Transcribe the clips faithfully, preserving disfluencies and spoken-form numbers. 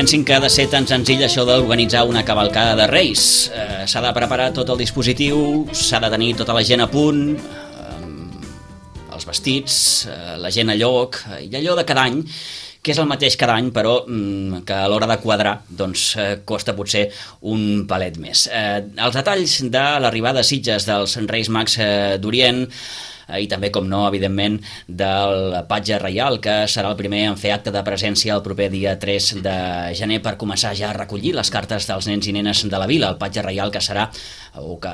pensin que ha de ser tan senzill això d'organitzar una cavalcada de Reis. Eh, s'ha de preparar tot el dispositiu, s'ha de tenir tota la gent a punt, eh, els vestits, eh, la gent a lloc, i allò de cada any, que és el mateix cada any, però mm, que a l'hora de quadrar doncs, eh, costa potser un palet més. Eh, els detalls de l'arribada a Sitges dels Reis Mags eh, d'Orient, i també, com no, evidentment, del Patge Reial, que serà el primer en fer acte de presència el proper dia tres de gener per començar ja a recollir les cartes dels nens i nenes de la vila. El Patge Reial que serà, o que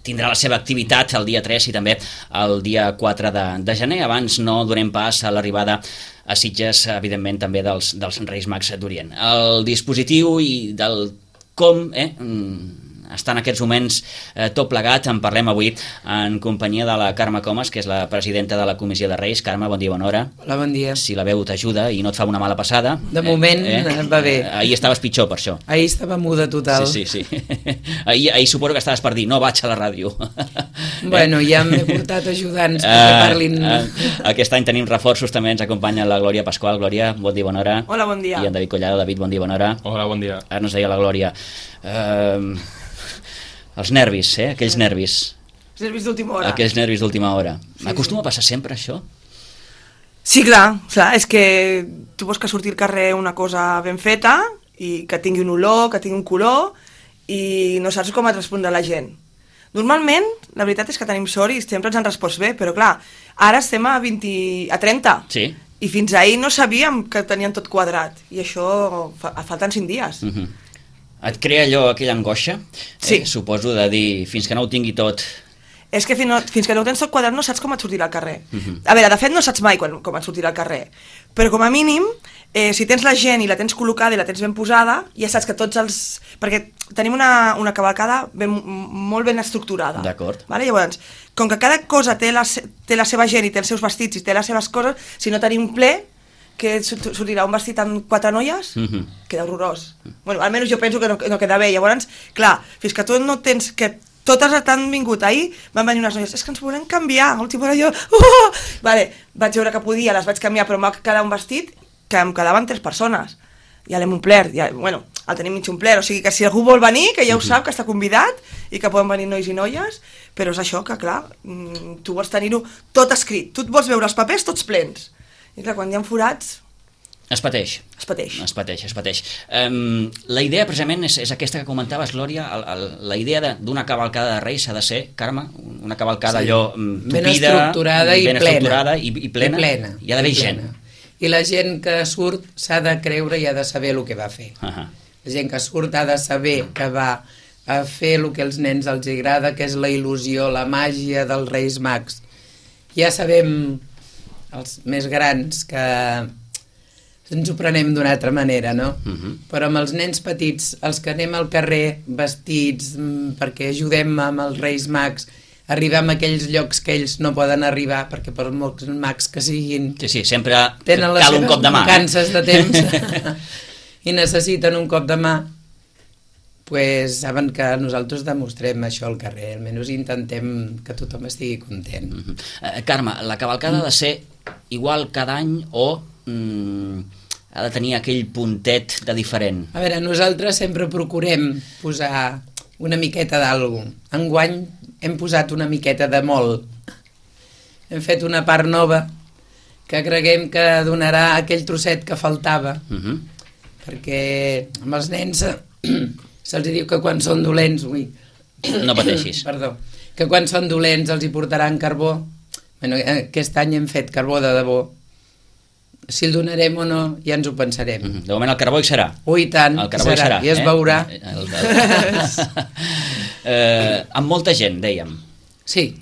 tindrà la seva activitat el dia tres i també el dia quatre de, de gener. Abans no donem pas a l'arribada a Sitges, evidentment, també dels, dels Reis Mags d'Orient. El dispositiu i del com, eh, està en aquests moments eh, tot plegat. En parlem avui en companyia de la Carme Comas, que és la presidenta de la Comissió de Reis. Carme, bon dia, bona hora. Hola, bon dia. Si la veu t'ajuda i no et fa una mala passada. De moment eh, eh, va bé. Eh, ahir estaves pitjor, per això. Ahir estava muda total. Sí, sí, sí. ahir, ahir suposo que estaves per dir, no vaig a la ràdio. Bueno, ja m'he portat ajudants perquè uh, parlin... Uh, aquest any tenim reforços, també ens acompanya la Glòria Pasqual. Glòria, bon dia, bona hora. Hola, bon dia. I en David Collado. David, bon dia, bona hora. Hola, bon dia. Ara ens deia la Glòria... Uh, els nervis, eh? Aquells nervis. Els nervis d'última hora. Aquells nervis d'última hora. Sí, Acostuma sí. a passar sempre, això? Sí, clar. O sigui, és que tu vols que surti al carrer una cosa ben feta i que tingui un olor, que tingui un color i no saps com et respondrà la gent. Normalment, la veritat és que tenim sort i sempre ens han respost bé, però clar, ara estem a, vint, a trenta. Sí. I fins ahir no sabíem que tenien tot quadrat. I això fa, falten cinc dies. Uh -huh. Et crea allò, aquella angoixa? Sí. Eh, suposo de dir, fins que no ho tingui tot... És que fins, no, fins que no ho tens tot quadrat no saps com et sortirà al carrer. Uh -huh. A veure, de fet no saps mai quan, com et sortirà al carrer, però com a mínim, eh, si tens la gent i la tens col·locada i la tens ben posada, ja saps que tots els... Perquè tenim una, una cavalcada ben, molt ben estructurada. D'acord. Vale? Llavors, com que cada cosa té la, té la seva gent i té els seus vestits i té les seves coses, si no tenim ple, que sortirà un vestit amb quatre noies, uh -huh. queda horrorós. Bueno, almenys jo penso que no, no queda bé. Llavors, clar, fins que tu no tens... que totes t'han vingut ahir, van venir unes noies, és que ens volem canviar, a última hora jo... Uh! Vale, vaig veure que podia, les vaig canviar, però em va quedar un vestit que em quedaven tres persones. Ja l'hem omplert, ja, bueno, el tenim mig omplert, o sigui que si algú vol venir, que ja ho sap, que està convidat, i que poden venir nois i noies, però és això que, clar, tu vols tenir-ho tot escrit, tu vols veure els papers tots plens. I clar, quan hi ha forats... Es pateix. Es pateix. Es pateix, es pateix. Um, la idea, precisament, és, és aquesta que comentaves, Glòria, el, el, la idea d'una cavalcada de Reis ha de ser, Carme, una cavalcada sí. allò um, tupida, ben estructurada i ben plena. estructurada i, i plena. I plena. Hi ha d'haver gent. I la gent que surt s'ha de creure i ha de saber el que va fer. Uh -huh. La gent que surt ha de saber que va a fer el que als nens els agrada, que és la il·lusió, la màgia dels Reis Mags. Ja sabem, els més grans, que ens ho prenem d'una altra manera, no? Uh -huh. Però amb els nens petits, els que anem al carrer vestits perquè ajudem amb els Reis Mags, arribem a aquells llocs que ells no poden arribar, perquè per molts mags que siguin... Sí, sí, sempre tenen cal un cop de mà. Tenen les seves mancances de temps i necessiten un cop de mà, pues saben que nosaltres demostrem això al carrer, almenys intentem que tothom estigui content. Uh -huh. uh, Carme, la cavalcada ha de ser igual cada any o... Mm, ha de tenir aquell puntet de diferent? A veure, nosaltres sempre procurem posar una miqueta d'algú. Enguany hem posat una miqueta de molt. Hem fet una part nova que creguem que donarà aquell trosset que faltava, uh -huh. perquè amb els nens se'ls diu que quan són dolents... Ui, no pateixis. Perdó. Que quan són dolents els hi portaran carbó. Bueno, aquest any hem fet carbó de debò. Si el donarem o no, ja ens ho pensarem. Mm -hmm. De moment el carbó hi serà. Ui, tant, el carbó serà, hi serà, i es eh? veurà. El, el, el... eh, amb molta gent, dèiem. Sí,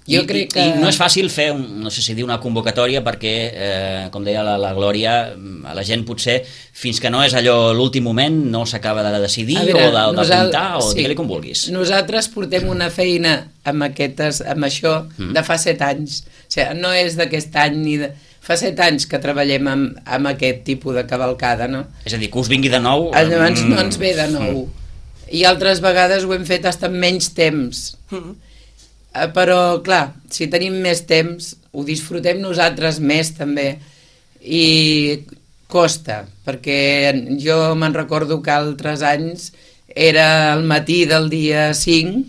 jo I, crec que... I no és fàcil fer, un, no sé si dir una convocatòria, perquè, eh, com deia la, la Glòria, a la gent potser, fins que no és allò l'últim moment, no s'acaba de decidir veure, o de, de apuntar, o sí. digue-li com vulguis. Nosaltres portem una feina amb, aquestes, amb això mm. de fa set anys. O sigui, no és d'aquest any ni de... Fa set anys que treballem amb, amb aquest tipus de cavalcada, no? És a dir, que us vingui de nou... Llavors no ens ve de nou. Mm. I altres vegades ho hem fet fins amb menys temps. Mm. Però, clar, si tenim més temps, ho disfrutem nosaltres més, també. I costa, perquè jo me'n recordo que altres anys era el matí del dia cinc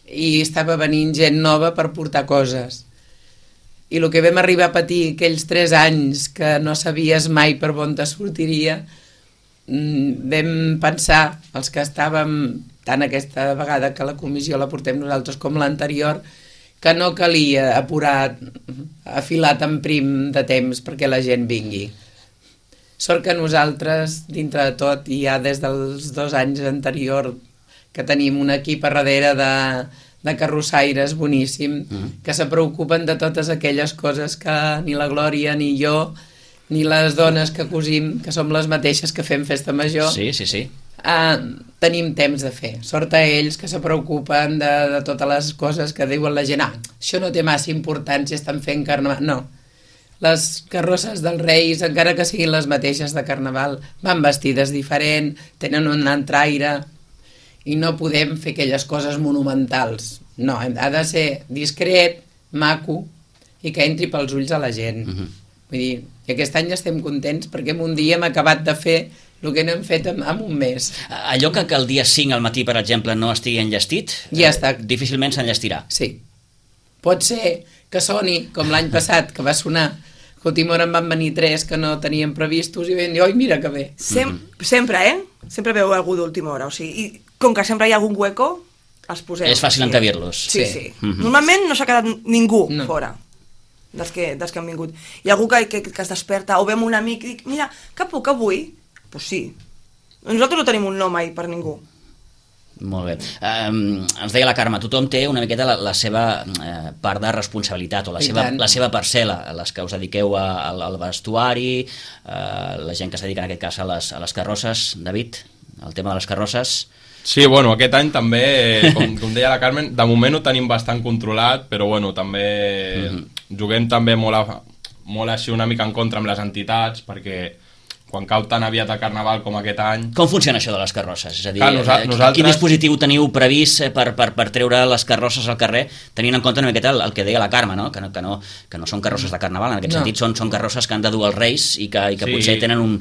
i estava venint gent nova per portar coses. I el que vam arribar a patir aquells tres anys que no sabies mai per on te sortiria, vam pensar, els que estàvem tant aquesta vegada que la comissió la portem nosaltres com l'anterior, que no calia apurar, afilar tan prim de temps perquè la gent vingui. Sort que nosaltres, dintre de tot, i ja des dels dos anys anterior, que tenim un equip a darrere de, de carrossaires boníssim, mm. que se preocupen de totes aquelles coses que ni la Glòria ni jo, ni les dones que cosim, que som les mateixes que fem festa major, sí, sí, sí. Uh, tenim temps de fer. Sort a ells que se preocupen de, de totes les coses que diuen la gent, ah, això no té massa importància, estan fent carnaval. No. Les carrosses dels Reis, encara que siguin les mateixes de carnaval, van vestides diferent, tenen un entraire, i no podem fer aquelles coses monumentals. No, ha de ser discret, maco, i que entri pels ulls a la gent. Uh-huh. Vull dir, i aquest any estem contents perquè en un dia hem acabat de fer el que no hem fet en, en un mes. Allò que, que el dia cinc al matí, per exemple, no estigui enllestit, ja està. Eh, difícilment s'enllestirà. Sí. Pot ser que soni, com l'any passat, que va sonar, que a última hora en van venir tres que no teníem previstos i vam dir, oi, mira que bé. Sem mm-hmm. Sempre, eh? Sempre veu algú d'última hora, o sigui, i com que sempre hi ha algun hueco, els posem. És fàcil sí. encabir-los. Sí, sí. sí. Mm-hmm. Normalment no s'ha quedat ningú no. fora. Dels que, dels que han vingut. Hi ha algú que, que, que es desperta o vem un amic i dic, mira, que puc avui? Doncs pues sí. Nosaltres no tenim un no mai per ningú. Molt bé. Um, ens deia la Carme, tothom té una miqueta la, la seva uh, part de responsabilitat o la seva, la seva parcel·la, les que us dediqueu a, a, al vestuari, uh, la gent que es dedica en aquest cas a les, a les carrosses. David, el tema de les carrosses... Sí, bueno, aquest any també, com, com deia la Carmen, de moment ho tenim bastant controlat, però bueno, també mm-hmm. juguem també molt, a, molt així una mica en contra amb les entitats, perquè quan cau tan aviat a Carnaval com aquest any... Com funciona això de les carrosses? És a dir, Clar, nosa nosaltres... quin dispositiu teniu previst per, per, per treure les carrosses al carrer, tenint en compte una miqueta el, el que deia la Carme, no? Que, no, que, no, que no són carrosses de Carnaval, en aquest no. sentit són, són carrosses que han de dur els Reis i que, i que sí. potser tenen un,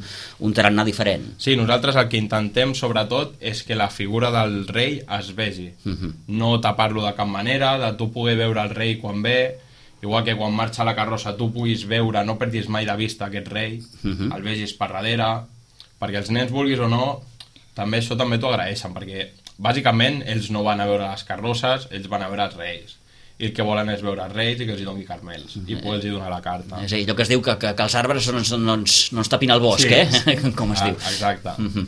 un tarannà diferent. Sí, nosaltres el que intentem sobretot és que la figura del rei es vegi, uh-huh. no tapar-lo de cap manera, de tu poder veure el rei quan ve, igual que quan marxa la carrossa tu puguis veure, no perdis mai de vista aquest rei, uh-huh. el vegis per darrere, perquè els nens, vulguis o no, també això també t'ho agraeixen, perquè bàsicament ells no van a veure les carrosses, ells van a veure els reis, i el que volen és veure els reis i que els hi doni carmels, uh-huh. i poder-los donar la carta. És a dir, allò que es diu que, que, que els arbres no ens, no ens, no ens tapin el bosc, sí, eh? Com es ah, diu. Exacte. Uh-huh.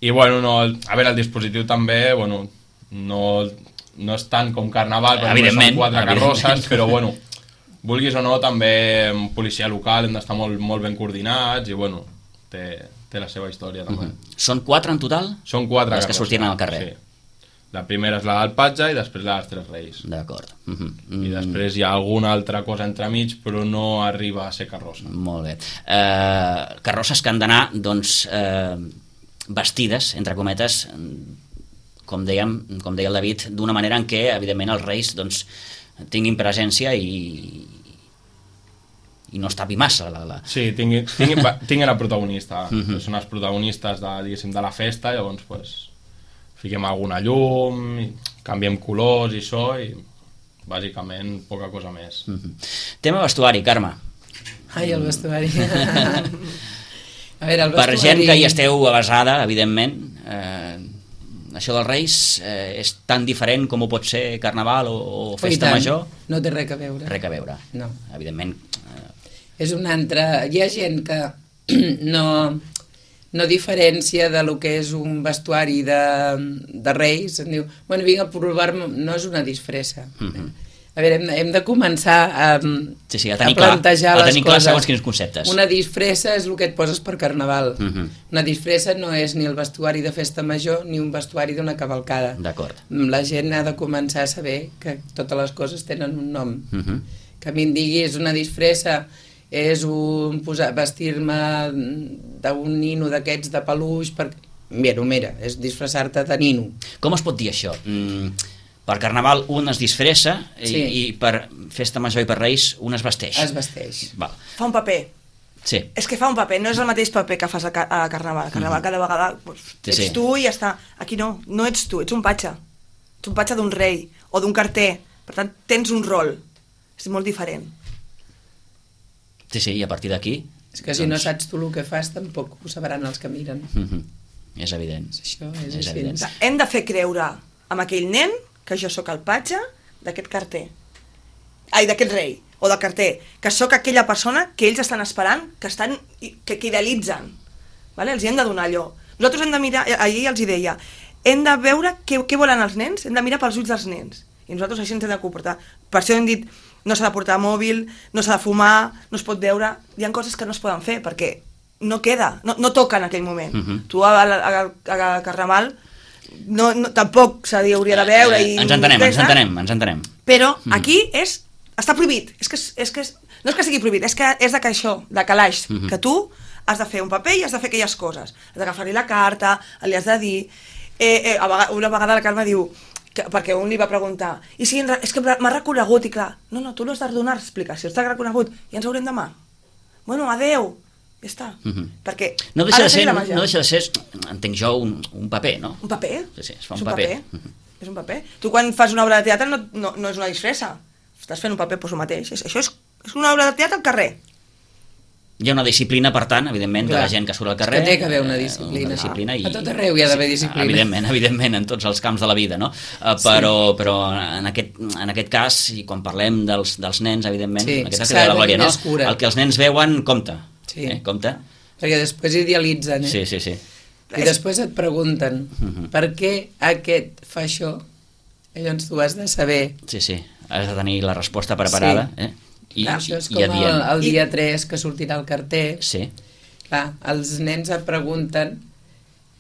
I bueno, no, a veure, el dispositiu també, bueno, no... no és tant com Carnaval, perquè són quatre carrosses, però bueno, vulguis o no, també en policia local hem d'estar molt, molt ben coordinats i bueno, té, té la seva història també. Uh-huh. Són quatre en total? Són quatre les que sortiran al carrer. Sí. La primera és la del Patge i després la dels Tres Reis. D'acord. Uh-huh. I després hi ha alguna altra cosa entremig, però no arriba a ser carrossa. Molt bé. Uh, carrosses que han d'anar, doncs, uh, vestides, entre cometes, com dèiem, com deia el David, d'una manera en què, evidentment, els Reis doncs, tinguin presència i, i no es tapi massa. La, la... Sí, tinguin, tinguin, tinguin la protagonista. Uh-huh. Són els protagonistes de, diguéssim, de la festa, llavors pues, fiquem alguna llum, canviem colors i això, i bàsicament poca cosa més. Uh-huh. Tema vestuari, Carme. Ai, el vestuari. A veure, el vestuari... Per gent que hi esteu avasada, evidentment, eh, això dels Reis eh, és tan diferent com ho pot ser Carnaval o, o Festa Major? No té res a veure. Res a veure. No. Evidentment. Eh... És una altra... Hi ha gent que no, no diferència de lo que és un vestuari de, de Reis. Em diu, bueno, vinc a provar-me... No és una disfressa. Uh-huh. A veure, hem, hem de començar a, sí, sí, a, a plantejar clar, a les coses. Segons quins conceptes. Una disfressa és el que et poses per Carnaval. Uh-huh. Una disfressa no és ni el vestuari de Festa Major ni un vestuari d'una cavalcada. D'acord. La gent ha de començar a saber que totes les coses tenen un nom. Uh-huh. Que a mi em diguis una disfressa és un posar, vestir-me d'un nino d'aquests de peluix per... Mira, mira, és disfressar-te de nino. Com es pot dir això? Mm, per Carnaval un es disfressa i, sí. i per Festa Major i per Reis un es vesteix. Es vesteix. Val. Fa un paper. Sí. És que fa un paper, no és el mateix paper que fas a, ca a Carnaval. A Carnaval cada vegada pues, Sí, ets sí. tu i ja està. Aquí no, no ets tu, ets un patge. Ets un patge d'un rei o d'un carter. Per tant, tens un rol. És molt diferent. Sí, sí, i a partir d'aquí... És que si no saps tu el que fas, tampoc ho sabran els que miren. Mhm. És evident. Això és, És així. evident. O sigui, hem de fer creure amb aquell nen que jo sóc el patge d'aquest carter. Ai, d'aquest rei, o del carter, que sóc aquella persona que ells estan esperant, que estan que, que idealitzen. Vale? Els hi hem de donar allò. Nosaltres hem de mirar, ahir els hi deia, hem de veure què, què volen els nens, hem de mirar pels ulls dels nens. I nosaltres així ens hem de comportar. Per això hem dit, no s'ha de portar mòbil, no s'ha de fumar, no es pot veure... Hi ha coses que no es poden fer, perquè no queda, no, no toca en aquell moment. Uh-huh. Tu a, a, a, a Carnaval no, no, tampoc se hauria de veure... Eh, i ens entenem, ens entenem, ens entenem. Però aquí és, està prohibit. És que, és que és, no és que sigui prohibit, és que és de que això, de calaix, uh-huh. que tu has de fer un paper i has de fer aquelles coses. Has d'agafar-li la carta, li has de dir... Eh, eh, a vegada, una vegada la Carme diu... Que, perquè un li va preguntar i si és que m'ha reconegut i clar, no, no, tu no has de donar explicacions, t'ha reconegut i ens veurem demà, bueno, adeu ja està, uh-huh. perquè no deixa, de ser, no, no deixa de ser, entenc jo, un, un paper, no? Un paper, sí, sí, es fa un és un paper, paper. Uh-huh. És un paper. Tu quan fas una obra de teatre no, no, no és una disfressa, estàs fent un paper per tu mateix, és, això és, és una obra de teatre al carrer. Hi ha una disciplina, per tant, evidentment, Clar. de la gent que surt al carrer. És que té que haver una disciplina. Una disciplina i... A tot arreu hi ha d'haver disciplina. Sí, evidentment, evidentment, en tots els camps de la vida, no? Uh, però, sí. però en, aquest, en aquest cas, i quan parlem dels, dels nens, evidentment, sí, en aquest cas de la Glòria, no? El que els nens veuen, compta. Sí. Eh, compta. Perquè després idealitzen, eh? Sí, sí, sí. I després et pregunten, uh-huh. per què aquest fa això? I llavors tu has de saber... Sí, sí, has de tenir la resposta preparada, sí. eh? I, Clar, això és i com el, el dia I... tres que sortirà el carter. Sí. Clar, els nens et pregunten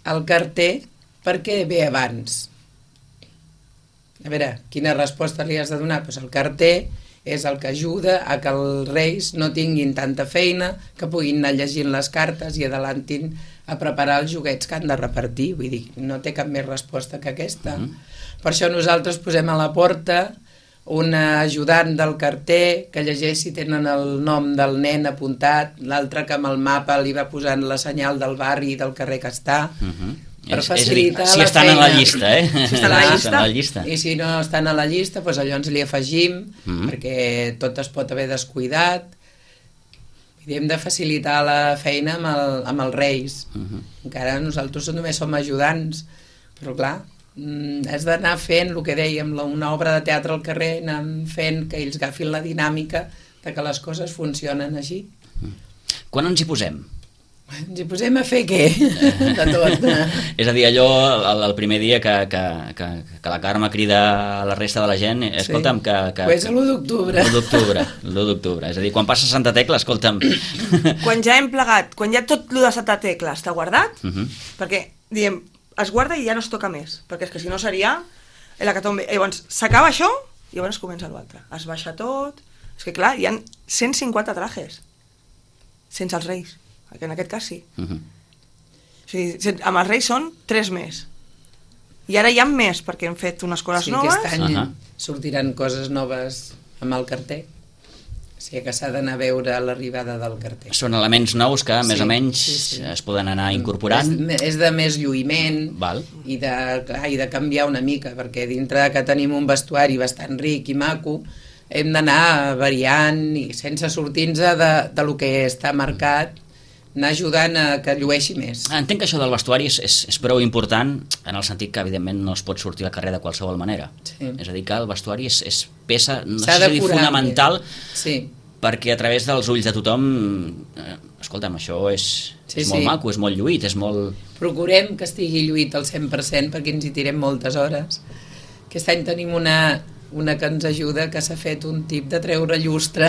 al carter per què ve abans. A veure, quina resposta li has de donar? Pues el carter és el que ajuda a que els reis no tinguin tanta feina, que puguin anar llegint les cartes i adelantin a preparar els joguets que han de repartir. Vull dir, no té cap més resposta que aquesta. Mm. Per això nosaltres posem a la porta un ajudant del carter que llegeix si tenen el nom del nen apuntat, l'altre que amb el mapa li va posant la senyal del barri i del carrer que està, uh-huh. per és, facilitar és dir, si la estan feina. a la llista, eh? Si estan a la llista. Estan a la llista. I si no estan a la llista, doncs allò ens li afegim, uh-huh. perquè tot es pot haver descuidat. I hem de facilitar la feina amb, el, amb els reis. Uh-huh. Encara nosaltres només som ajudants, però clar, has d'anar fent el que dèiem, una obra de teatre al carrer, anar fent que ells agafin la dinàmica de que les coses funcionen així. Quan ens hi posem? Ens hi posem a fer què? De tot. És a dir, allò, el, el primer dia que, que, que, que la Carme crida a la resta de la gent, escolta'm, que... que pues l'u d'octubre. L'u d'octubre, l'u d'octubre. És a dir, quan passa Santa Tecla, escolta'm... Quan ja hem plegat, quan ja tot el de Santa Tecla està guardat, uh -huh. perquè, diem, es guarda i ja no es toca més, perquè és que si no seria l'hecatombe. Llavors, s'acaba això i llavors comença l'altre. Es baixa tot... És que clar, hi ha cent cinquanta trajes sense els reis, que en aquest cas sí. Uh -huh. O sigui, amb els reis són tres més. I ara hi ha més, perquè hem fet unes coses sí, noves. Sí, aquest any uh -huh. sortiran coses noves amb el carter. O sigui que s'ha d'anar a veure l'arribada del carter. Són elements nous que, més sí, o menys, sí, sí. es poden anar incorporant. És, és de més lluïment Val. I, de, clar, i de canviar una mica, perquè dintre que tenim un vestuari bastant ric i maco, hem d'anar variant i sense sortir-nos de, de lo que està marcat, anar ajudant a que llueixi més. Entenc que això del vestuari és, és, és prou important en el sentit que, evidentment, no es pot sortir al carrer de qualsevol manera. Sí. És a dir, que el vestuari és, és peça, no sé si dir fonamental, sí. perquè a través dels ulls de tothom, eh, escolta'm, això és, sí, és molt sí. maco, és molt lluït, és molt... Procurem que estigui lluït al cent per cent perquè ens hi tirem moltes hores. Aquest any tenim una... una que ens ajuda, que s'ha fet un tip de treure llustre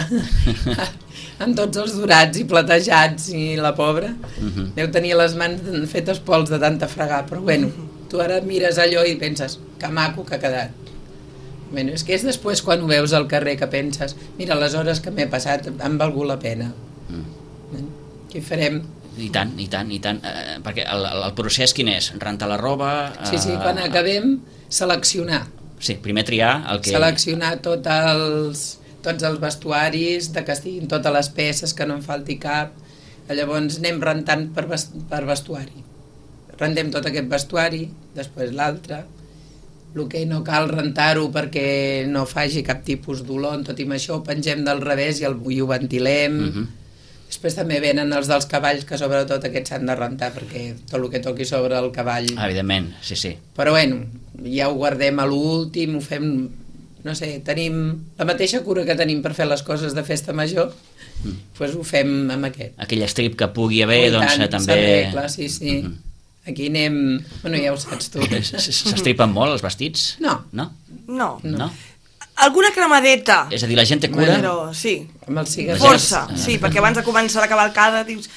amb tots els dorats i platejats i la pobra uh-huh. deu tenir les mans fetes pols de tanta fregar, però bueno, tu ara mires allò i penses, que maco que ha quedat. Bueno, és que és després quan ho veus al carrer que penses, mira, les hores que m'he passat han valgut la pena. Mm. Què farem? I tant, i tant, i tant. Eh, perquè el, el procés quin és? Rentar la roba... Eh... Sí, sí, quan acabem, seleccionar. Sí, primer triar el que... Seleccionar tot els, tots els vestuaris, de que estiguin totes les peces, que no en falti cap, Llavors anem rentant per, per vestuari. Rendem tot aquest vestuari, després l'altre. El que no cal rentar-ho perquè no faci cap tipus d'olor, tot i això ho pengem del revés i, el, i ho ventilem. Uh-huh. Després també venen els dels cavalls, que sobretot aquests s'han de rentar perquè tot el que toqui sobre el cavall... Evidentment, sí, sí. Però bueno, ja ho guardem a l'últim, ho fem... No sé, tenim la mateixa cura que tenim per fer les coses de festa major, mm. doncs ho fem amb aquest. Aquell estrip que pugui haver, oh, doncs tant, també... s'arregla, sí, sí. Mm-hmm. Aquí anem... Bueno, ja ho saps tu. S'estripen molt els vestits? No. No? No. No? no? Alguna cremadeta. És a dir, la gent té cura? Però sí. Amb el cigarret. Força, sí, perquè abans de començar la cavalcada dius,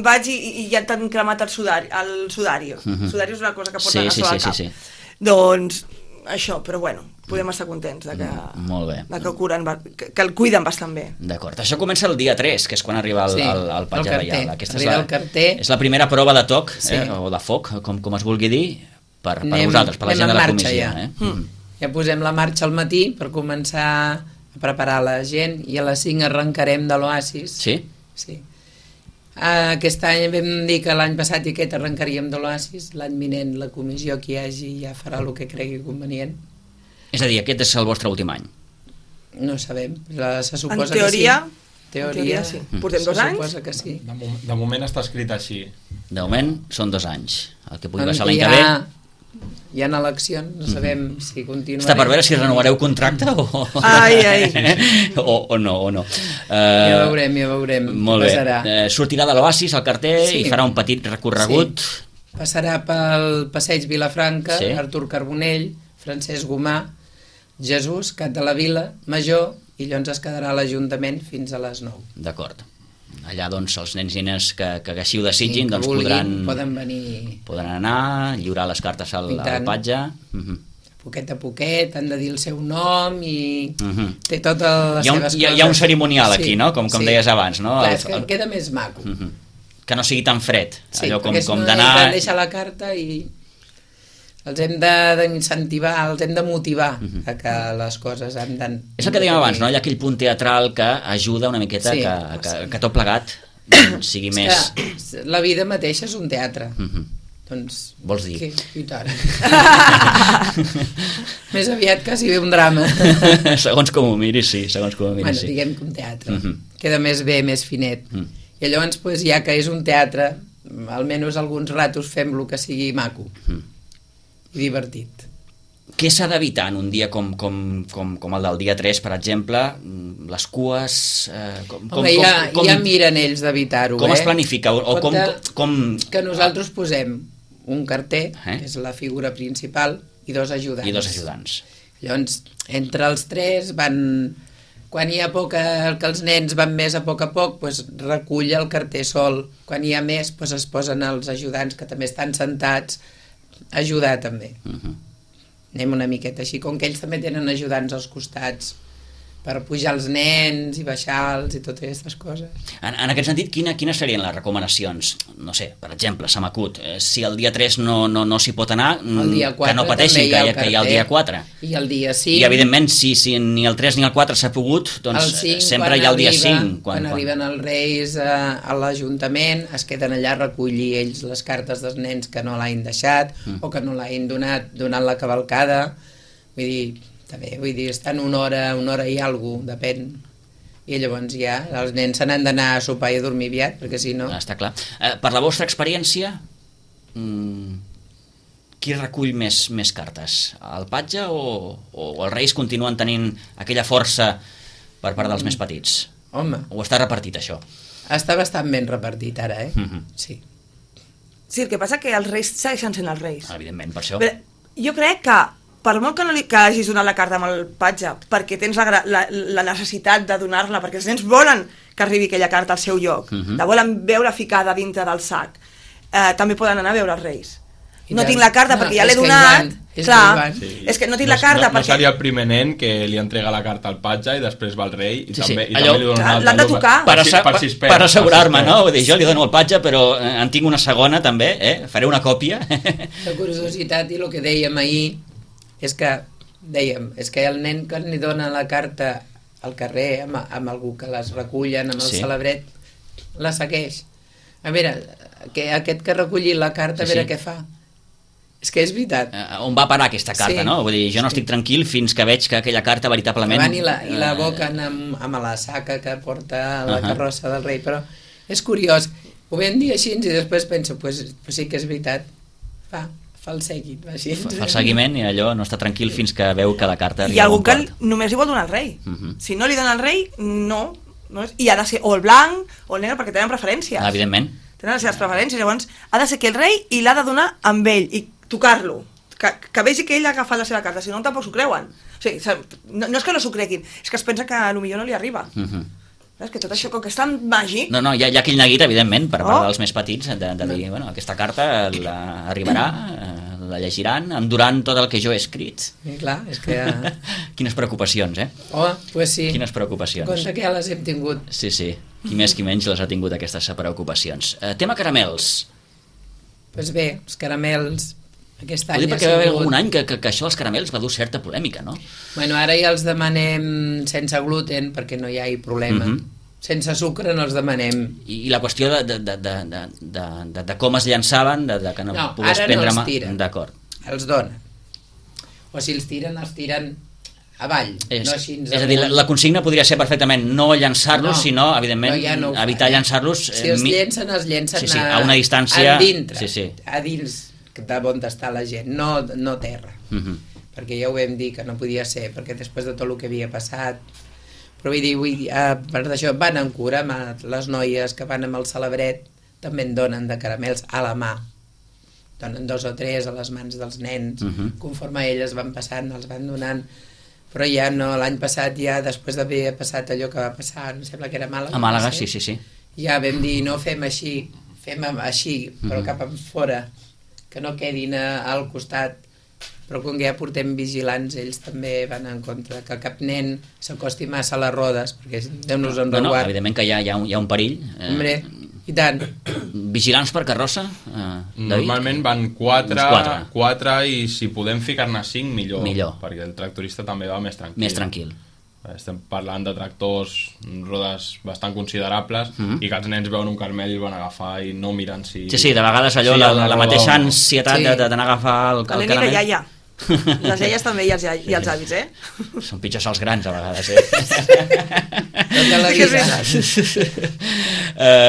vaig i, i ja t'han cremat el sudari. El sudari. Uh-huh. El sudari és una cosa que porten sí, a sí, sobre sí, el cap. sí, sí. Doncs això, però bueno, podem estar contents de que, Molt bé. de que, curen, que, que el cuiden bastant bé. D'acord. Això comença el dia tres, que és quan arriba el, sí, el, el patge el reial. Aquesta arriba és la, el carter. És la primera prova de toc, sí. eh, o de foc, com, com es vulgui dir, per, per anem, vosaltres, per la gent de la comissió. Ja. Eh? Mm. ja posem la marxa al matí per començar a preparar la gent i a les cinc arrencarem de l'Oasis. Sí? Sí. Aquest any vam dir que l'any passat i aquest arrencaríem de l'Oasis, l'any vinent la comissió que hi hagi ja farà el que cregui convenient. És a dir, aquest és el vostre últim any? No sabem, se suposa en teoria, que sí. Teoria, en teoria sí. Portem dos anys? Se suposa que sí. De, mo de moment està escrit així. De moment són dos anys. El que pugui En passar que l'any hi que ha... ve... Hi ha eleccions, no sabem mm -hmm. si continuarem. Està per veure si renovareu contracte o... Ai, ai. o, o no, o no. Uh, ja veurem, ja veurem. Molt bé. Uh, sortirà de l'Oasis al carter sí. i farà un petit recorregut. Sí. Passarà pel passeig Vilafranca, sí. Artur Carbonell, Francesc Gomà, Jesús, Cat de la Vila, Major, i llavors es quedarà a l'Ajuntament fins a les nou. D'acord. Allà, doncs, els nens i nenes que, que així ho desitgin, sí, doncs vulguin, podran, poden venir... podran anar, lliurar les cartes al, al patge. Uh -huh. Poquet a poquet, han de dir el seu nom i uh -huh. té totes les hi ha un, seves hi ha, coses. Hi ha un cerimonial sí, aquí, no? Com, com sí. deies abans, no? Clar, el, és que el... queda més maco. Uh -huh. Que no sigui tan fred. Sí, allò com, perquè com no d'anar... hem de deixar la carta i... els hem d'incentivar, els hem de motivar uh-huh. a que les coses han d'anar... És el que dèiem abans, no? Hi ha aquell punt teatral que ajuda una miqueta sí, que, que, sí. que tot plegat sigui és més... Que la vida mateixa és un teatre. Uh-huh. Doncs... Vols dir? Que, i tant. Més aviat quasi bé un drama. Segons com ho miris, sí, segons com ho miris, bueno, sí. diguem que un teatre. Uh-huh. Queda més bé, més finet. Uh-huh. I llavors, pues, ja que és un teatre, almenys alguns ratos fem-lo que sigui maco. Uh-huh. I divertit. Què s'ha d'evitar en un dia com, com, com, com el del dia tres, per exemple? Les cues... Eh, com, Home, com, ja, com, ja miren ells d'evitar-ho, eh? Com es planifica? O, o com, com... Que nosaltres posem un carter, eh? que és la figura principal, i dos ajudants. I dos ajudants. Llavors, entre els tres van... Quan hi ha poc, que els nens van més a poc a poc, doncs recull el carter sol. Quan hi ha més, doncs es posen els ajudants, que també estan sentats, a ajudar també. Uh-huh. Anem una miqueta així, com que ells també tenen ajudants als costats per pujar els nens i baixar-los i totes aquestes coses. En, en aquest sentit, quina, quines serien les recomanacions? No sé, per exemple, se m'acut, eh, si el dia tres no, no, no s'hi pot anar, el dia quatre, que no pateixin, hi ha que, hi ha, que hi ha el dia quatre. I el dia cinc. I evidentment, si, si ni el tres ni el quatre s'ha pogut, doncs cinc, sempre hi ha el dia arriba, cinc. Quan, quan arriben els reis a, a l'Ajuntament, es queden allà a recollir ells les cartes dels nens que no l'hagin deixat mm. o que no l'hagin donat durant la cavalcada. Vull dir, també, vull dir, estan una hora, una hora i alguna cosa, depèn. I llavors ja els nens se n'han d'anar a sopar i a dormir aviat, perquè si no... Ah, està clar. Eh, per la vostra experiència, mmm, qui recull més, més cartes? El patge o, o els reis continuen tenint aquella força per part dels mm. més petits? Home. O està repartit, això? Està bastant ben repartit ara, eh? Mm-hmm. Sí. Sí, el que passa que els reis segueixen sent els reis. Evidentment, per això. Però jo crec que per molt que, no li, que hagis donat la carta amb el patge, perquè tens la, la, la necessitat de donar-la, perquè els nens volen que arribi aquella carta al seu lloc, uh-huh. la volen veure ficada dintre del sac, eh, també poden anar a veure els reis. I no tant. Tinc la carta no, perquè ja l'he donat, és clar, que sí. És que no tinc no, la carta no, perquè... No seria el primer nen que li entrega la carta al patge i després va al rei i sí, també, sí. i Allò, també li dona una altra. L'han de tocar. Per, per, per, si per, per assegurar-me, no? Vull dir, jo li dono el patge, però en tinc una segona també, eh? Faré una còpia. La curiositat i el que dèiem ahir és que dèiem, és que el nen que li dona la carta al carrer amb, amb algú que les recullen, amb el sí. celebret, la segueix. A veure, que aquest que ha recollit la carta, Sí, a veure sí. què fa. És que és veritat. Uh, on va parar aquesta carta, Sí. no? Vull dir, jo no Sí. estic tranquil fins que veig que aquella carta veritablement... Van i la, i la eh, boquen amb, amb la saca que porta la Ahà. carrossa del rei, però és curiós. Ho vam dir així i després penso, pues, pues sí que és veritat. Va, fa el seguit, va així. Fa el seguiment i allò no està tranquil fins que veu que la carta Hi arriba ha a algú bon que port. només li vol donar al rei. Uh -huh. Si no li dona al rei, no. no és, I ha de ser o el blanc o el negre, perquè tenen preferències. Ah, evidentment. Tenen les seves preferències. Llavors, ha de ser que el rei i l'ha de donar amb ell i tocar-lo. Que, que vegi que ell ha agafat la seva carta, si no tampoc s'ho creuen. O sigui, no, no és que no s'ho creguin, és que es pensa que a lo millor no li arriba. Uh -huh. És que tot això, com que és tan màgic... No, no, hi ha, hi ha aquell neguit, evidentment, per part Oh. dels més petits, de, de dir, bueno, aquesta carta la, arribarà, eh, la llegiran, em duran tot el que jo he escrit. I clar, és que... Quines preocupacions, eh? Oh, pues sí. Quines preocupacions. Compte que ja les hem tingut. Sí, sí, qui més qui menys les ha tingut aquestes preocupacions. Eh, tema caramels. Pues bé, els caramels... Aquest Ho any dic ha perquè va haver sigut- algun any que, que, que això dels caramels va dur certa polèmica, no? Bueno, ara ja els demanem sense gluten perquè no hi ha problema. Mhm. Sense sucre no els demanem. I, i la qüestió de, de, de, de, de, de, de, de com es llançaven, de, de que no, No, pogués ara no prendre els mà. tiren. D'acord. Els donen. O si els tiren, els tiren avall. És, no així és a dir, la, la consigna podria ser perfectament no llançar-los, No, sinó, evidentment, no, ja no ho fa, evitar eh? llançar-los... Si els llencen, els llencen sí, sí, a una distància... a dintre, Sí, sí. a dins de on està la gent, no, no terra. Uh -huh. Perquè ja ho vam dir que no podia ser, perquè després de tot el que havia passat... Però vull dir, vull dir a part d'això, van amb cura, amb les noies que van amb el celebret, també en donen de caramels a la mà. Donen dos o tres a les mans dels nens, Uh -huh. conforme elles van passant, els van donant. Però ja no, l'any passat ja, després d'haver passat allò que va passar, em sembla que era a Màlaga. A Màlaga, no sé, sí, sí, sí. ja vam dir, no fem així, fem amb- així, però Mhm. cap enfora, que no quedin a, al costat. Però com que ja portem vigilants, ells també van en contra que cap nen s'acosti massa a les rodes, perquè Déu-nos en No, no, reguard. evidentment que hi ha, hi ha, un, hi ha un perill. Eh, Hombre, i tant. Vigilants per carrossa, eh, David? Normalment van quatre, Uns quatre. quatre i si podem ficar-ne cinc, millor, Millor. perquè el tractorista també va més tranquil. Més tranquil. Estem parlant de tractors, rodes bastant considerables, Mhm. i que els nens veuen un carmel i el van agafar i no miren si... Sí, sí, de vegades allò, si hi la, ha una la roda mateixa o no. ansietat Sí. de- de- d'anar a agafar el, el La nena i caramel. la iaia. Les iaies també i els, ia- i els avis, eh? Són pitjors els grans, a vegades, eh? Tota la Sí que és vida.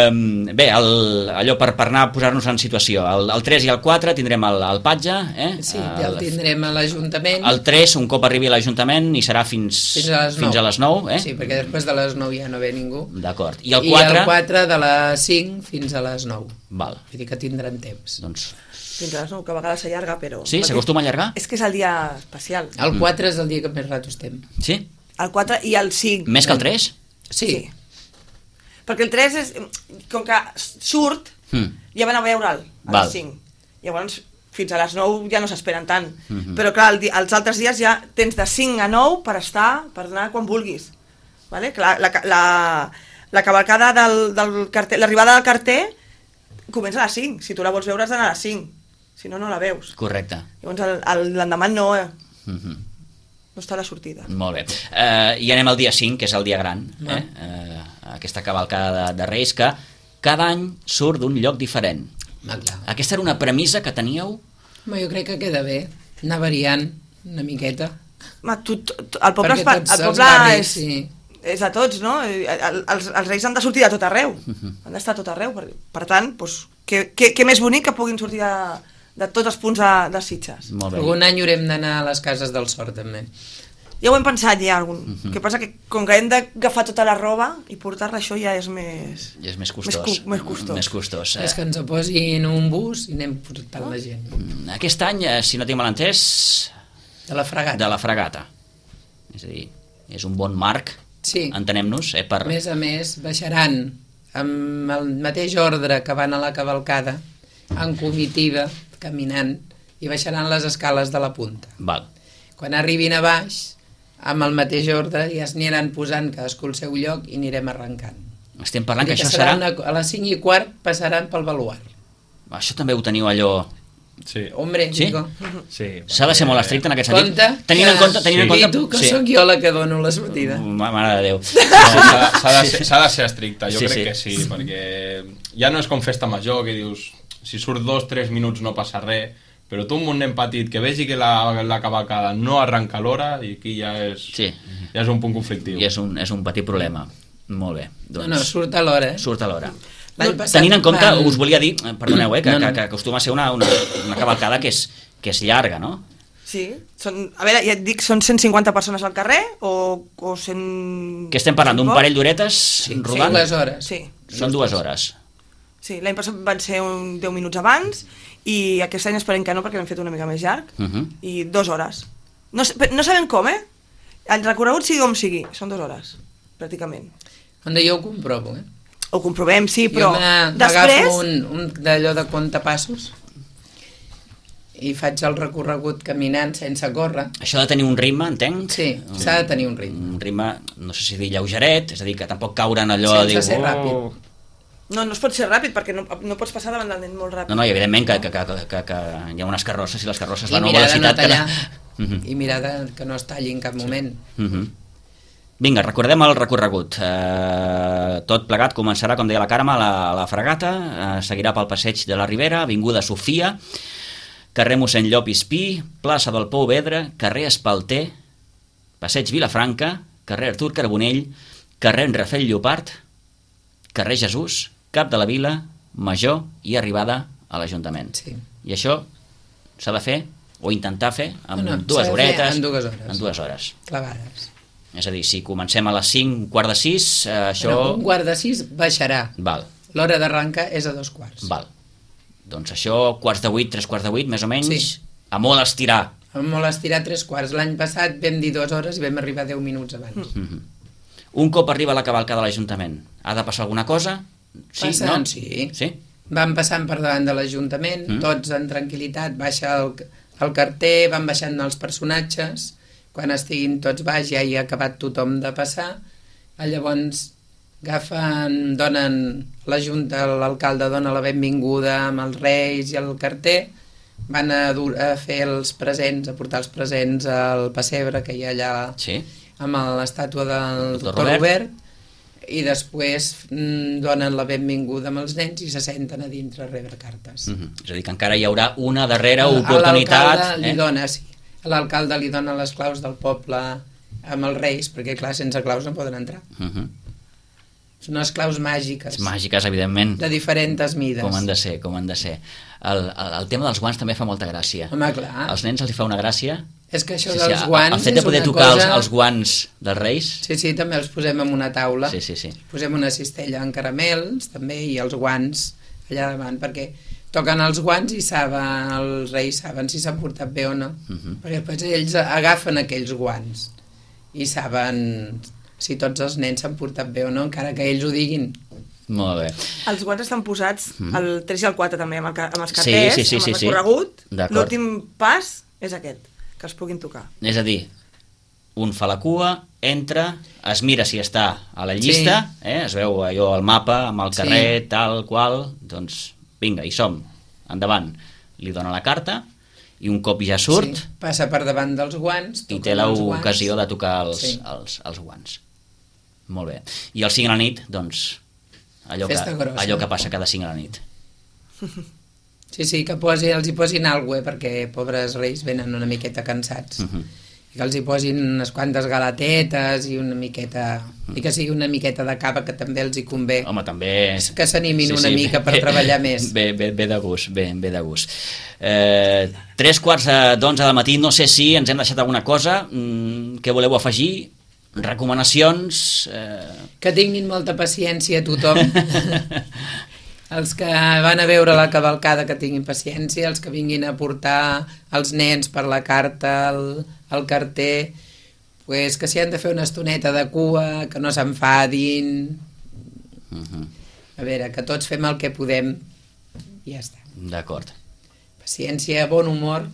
um, bé, el, allò per, per anar a posar-nos en situació. El, el tres i el quatre tindrem el, el patge, eh? Sí, ja el el, tindrem a l'Ajuntament. el tres, un cop arribi a l'Ajuntament, i serà fins, Fins a les nou. fins a les nou, eh? Sí, perquè després de les nou ja no ve ningú. D'acord. I el I quatre... el quatre de les cinc fins a les nou. Val. Vull dir que tindran temps. Doncs, Fins a les nou, que a vegades s'allarga, però... sí, perquè s'acostuma a allargar? És que és el dia especial. El quatre és el dia que més rato estem. Sí? El quatre i el cinc. Més que el tres? Sí. Perquè el tres és... Com que surt, Mm. ja van a veure'l a Val. les cinc. Llavors, fins a les nou ja no s'esperen tant. Mhm. Però clar, el, di- els altres dies ja tens de cinc a nou per estar, per anar quan vulguis. Vale? Clar, la, ca- la, la cavalcada del, del carter, l'arribada del carter comença a les cinc. Si tu la vols veure has d'anar a les cinc. Si no, no la veus. Correcte. Llavors el- el- l'endemà no, eh? Mhm. no està a la sortida. Molt bé. Uh, I anem al dia cinc, que és el dia gran, Ah. eh? Uh, aquesta cavalcada de, de Reis, que cada any surt d'un lloc diferent. Ah, clar. Aquesta era una premissa que teníeu? Home, jo crec que queda bé anar variant una miqueta. Ma, tu, tu, tu- el poble, Perquè es fa, tots el els poble barris, és, sí. és de tots, no? I el- Els, els reis han de sortir de tot arreu. Han d'estar a tot arreu. Per, per tant, doncs, què, què, què més bonic que puguin sortir de, de tots els punts de, de Sitges. Molt bé. Algun any haurem d'anar a les cases del Sort, també. Ja ho hem pensat ja. Algun... Uh -huh. El que passa que com que hem d'agafar tota la roba i portar-la, això ja és més... I és més costós. Més, cu més costós. Més costós. És que ens posin un bus i anem portant la gent. Eh, Aquest any, eh, si no tinc mal entès, De la fregata. de la fregata. És a dir, és un bon marc, Sí. entenem-nos, eh, per... A més a més, baixaran amb el mateix ordre que van a la cavalcada, en comitiva, caminant, i baixaran les escales de la punta. Val. Quan arribin a baix, amb el mateix ordre, ja es aniran posant cadascú al seu lloc i anirem arrencant. Estem parlant que, Vull dir això serà... Una, a les cinc i quart passaran pel baluart. Això també ho teniu allò Sí. Hombre, Sí? digo. Sí, S'ha de ser molt estricte en aquest sentit. Compte, Tenint en compte... Tenint sí. en compte I tu, que sí. sóc jo la que dono la sortida. Ma- Mare de Déu. No, s'ha s'ha de, ser- s'ha de ser estricte, jo Sí, crec sí. que sí, perquè ja no és com festa major, que dius, si surt dos, tres minuts no passa res, però tu amb un nen petit que vegi que la, la cavalcada no arranca a l'hora, i aquí ja és, Sí. ja és un punt conflictiu. I és un, és un petit problema. Molt bé. No, Doncs, no, surt a l'hora, eh? surt a l'hora. L'any passat Tenint en compte, vam- us volia dir, eh, perdoneu, eh, que, No, no. que, que acostuma a ser una, una, una cavalcada que és, que és llarga, no? Sí, són, a veure, ja et dic, són cent cinquanta persones al carrer o, o cent... Que estem parlant d'un parell d'horetes Sí, rodant? dues hores. Sí, Són dues hores. sí l'any passat van ser un deu minuts abans i aquest any esperem que no perquè l'hem fet una mica més llarg Uh -huh. i dues hores. No, sé- no sabem com, eh? El recorregut sigui com sigui, són dues hores, pràcticament. Onda jo ho comprovo, eh? Ho comprovem, sí, però jo m'agafo després... un, un d'allò de comptapassos i faig el recorregut caminant sense córrer. Això de tenir un ritme, entenc? Sí, s'ha de tenir un ritme. Un ritme, no sé si dir lleugeret, és a dir, que tampoc caure en allò Sense de dir... ser "Oh". ràpid. No, no es pot ser ràpid perquè no, no pots passar davant del nen molt ràpid. No, no, i evidentment que, que, que, que, que hi ha unes carrosses i les carrosses I van a una mirar de no velocitat tallar, que... Mhm. i mirar de, que no es talli en cap moment. Mhm. Vinga, recordem el recorregut. Eh, tot plegat començarà, com deia la Carme, a la, a la Fregata, eh, seguirà pel passeig de la Ribera, avinguda Sofia, carrer mossèn Llop i Espí, plaça del Pou Vedre, carrer Espalter, passeig Vilafranca, carrer Artur Carbonell, carrer Rafel Llopart, carrer Jesús, cap de la Vila, Major i arribada a l'Ajuntament. Sí. I això s'ha de fer, o intentar fer, amb No, no, dues s'ha de fer horetes. en dues hores. En dues hores. Clavades. És a dir, si comencem a les cinc, un quart de sis, eh, això... Bueno, un quart de sis baixarà. Val, L'hora d'arrancar és a dos quarts. val. Doncs això, quarts de vuit, tres quarts de vuit, més o menys, Sí. a molt estirar. Vam molt estirar tres quarts. L'any passat vam dir dues hores i vam arribar deu minuts abans. Mhm. Un cop arriba la cavalcada de l'Ajuntament, ha de passar alguna cosa? Sí, Passant, no? sí. Sí? Van passant per davant de l'Ajuntament, Mm. mm. tots en tranquil·litat, baixa el, el carter, van baixant els personatges, quan estiguin tots baix ja hi ha acabat tothom de passar, llavors agafen, donen la Junta, l'alcalde dona la benvinguda amb els reis i el carter, van a, dur, a fer els presents, a portar els presents al pessebre que hi ha allà Sí? amb l'estàtua del Doctor doctor Robert. Robert, i després mm, donen la benvinguda amb els nens i se senten a dintre a rebre cartes. Mhm. És a dir, que encara hi haurà una darrera A- a oportunitat... l'alcalde li dona, sí. A l'alcalde li dona les claus del poble amb els reis, perquè clar, sense claus no poden entrar. Mhm. Són unes claus màgiques, Màgiques, evidentment. de diferents mides. Com han de ser, com han de ser. El, el, el tema dels guants també fa molta gràcia. Home, clar. Als nens els hi fa una gràcia. És que això Sí, sí, dels el- guants el fet de és poder una tocar cosa... els, els guants dels reis... Sí, sí, també els posem en una taula. Sí, sí, sí. Posem una cistella en caramels, també, i els guants allà davant, perquè toquen els guants i saben, els reis saben si s'han portat bé o no. Mhm. Perquè després ells agafen aquells guants i saben si tots els nens s'han portat bé o no, encara que ells ho diguin. Molt bé. Els guants estan posats Mhm. al tres i al quatre també, amb, el, ca- amb els Sí, carters, sí, sí, amb sí, el sí. recorregut. D'acord. L'últim pas és aquest, que els puguin tocar. És a dir, un fa la cua, entra, es mira si està a la llista, sí. eh? Es veu allò al mapa, amb el Sí. carrer, tal qual, doncs vinga, hi som, endavant. Li dona la carta i un cop ja surt Sí, passa per davant dels guants. i toquen té els guants. l'ocasió de tocar els, Sí. els, els guants. Molt bé. I el cinc a la nit, doncs, allò que, Festa grossa. allò que passa cada cinc a la nit. Sí, sí, que posi, els hi posin alguna cosa, perquè pobres reis venen una miqueta cansats. Uh -huh. I que els hi posin unes quantes galatetes i una miqueta... I que sigui una miqueta de cava, que també els hi convé. Home, també... Que s'animin una mica per treballar més. Bé, bé, bé de gust, bé, bé de gust. Eh, tres quarts de- d'onze del matí, no sé si ens hem deixat alguna cosa. Mm, què voleu afegir? Recomanacions? Eh... Que tinguin molta paciència tothom. Els que van a veure la cavalcada que tinguin paciència, els que vinguin a portar els nens per la carta, el, el carter, pues que si han de fer una estoneta de cua, que no s'enfadin. Uh -huh. A veure, que tots fem el que podem i ja està. D'acord. Paciència, bon humor.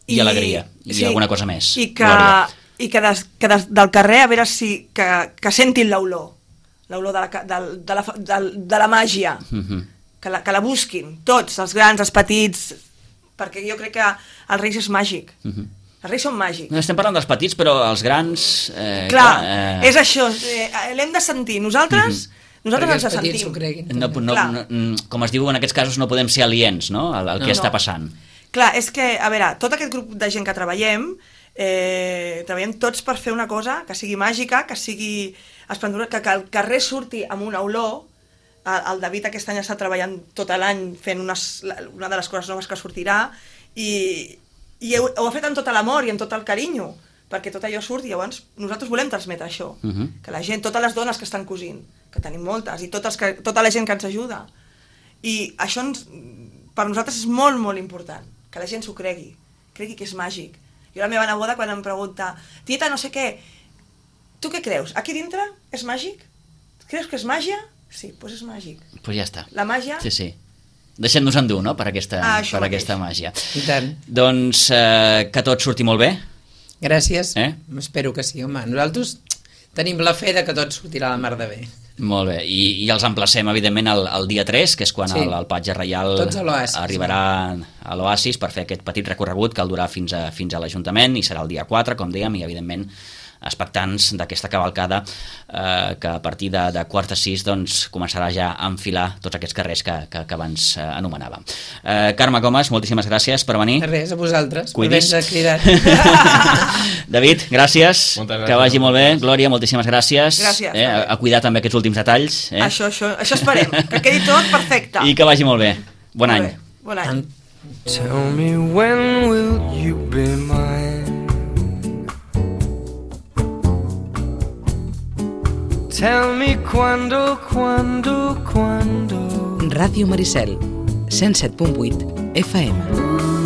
I, I alegria. I sí, alguna cosa més. I que, Glòria. i que, des, que des, del carrer, a veure si... que, que sentin l'olor. L'olor de la, ca- del- de, la, del- de la màgia. Uh -huh. que la, que la busquin, tots, els grans, els petits, perquè jo crec que els Reis és màgic. Uh-huh. Els Reis són màgics. No estem parlant dels petits, però els grans... Eh, clar, clar eh... és això, eh, l'hem de sentir. Nosaltres, uh-huh. nosaltres ens sentim. No, no, no, com es diu en aquests casos, no podem ser aliens, no?, al, al no, que està passant. Clar, és que, a veure, tot aquest grup de gent que treballem, eh, treballem tots per fer una cosa que sigui màgica, que sigui esplendorosa, que, que el carrer surti amb una olor. El David aquest any està treballant tot l'any fent unes, una de les coses noves que sortirà i, i ho, ho ha fet amb tot l'amor i amb tot el carinyo perquè tot allò surti. Llavors nosaltres volem transmetre això, uh-huh. que la gent, totes les dones que estan cosint, que tenim moltes, i totes que, tota la gent que ens ajuda, i això ens, per nosaltres és molt molt important, que la gent s'ho cregui, cregui que és màgic. Jo la meva neboda quan em pregunta, tieta no sé què, tu què creus? Aquí dintre és màgic? Creus que és màgia? Sí, doncs és màgic. Doncs pues ja està. La màgia... Sí, sí. Deixem-nos endur, no?, per aquesta, ah, per aquesta màgia. I tant. Doncs eh, que tot surti molt bé. Gràcies. Eh? Espero que sí, home. Nosaltres tenim la fe de que tot sortirà a la mar de bé. Molt bé. I, i els emplacem, evidentment, el, el dia tres, que és quan sí. el, el Patge Reial arribarà a l'Oasis per fer aquest petit recorregut que el durà fins a, fins a l'Ajuntament, i serà el dia quatre, com dèiem, i evidentment expectants d'aquesta cavalcada eh, que a partir de, de quarts de sis doncs, començarà ja a enfilar tots aquests carrers que, que, que abans eh, anomenàvem. Eh, Carme Comas, moltíssimes gràcies per venir. Res, a vosaltres. Cuidis. Cridat. David, gràcies. gràcies. Que vagi molt bé. Glòria, moltíssimes gràcies. Gràcies. Eh, a, a cuidar també aquests últims detalls. Eh? Això, això, això esperem, que quedi tot perfecte. I que vagi molt bé. Bon molt any. Bé. Bon any. Tell me when will you be mine? Tell me quando, quando, quando. Ràdio Maricel, cent set punt vuit F M.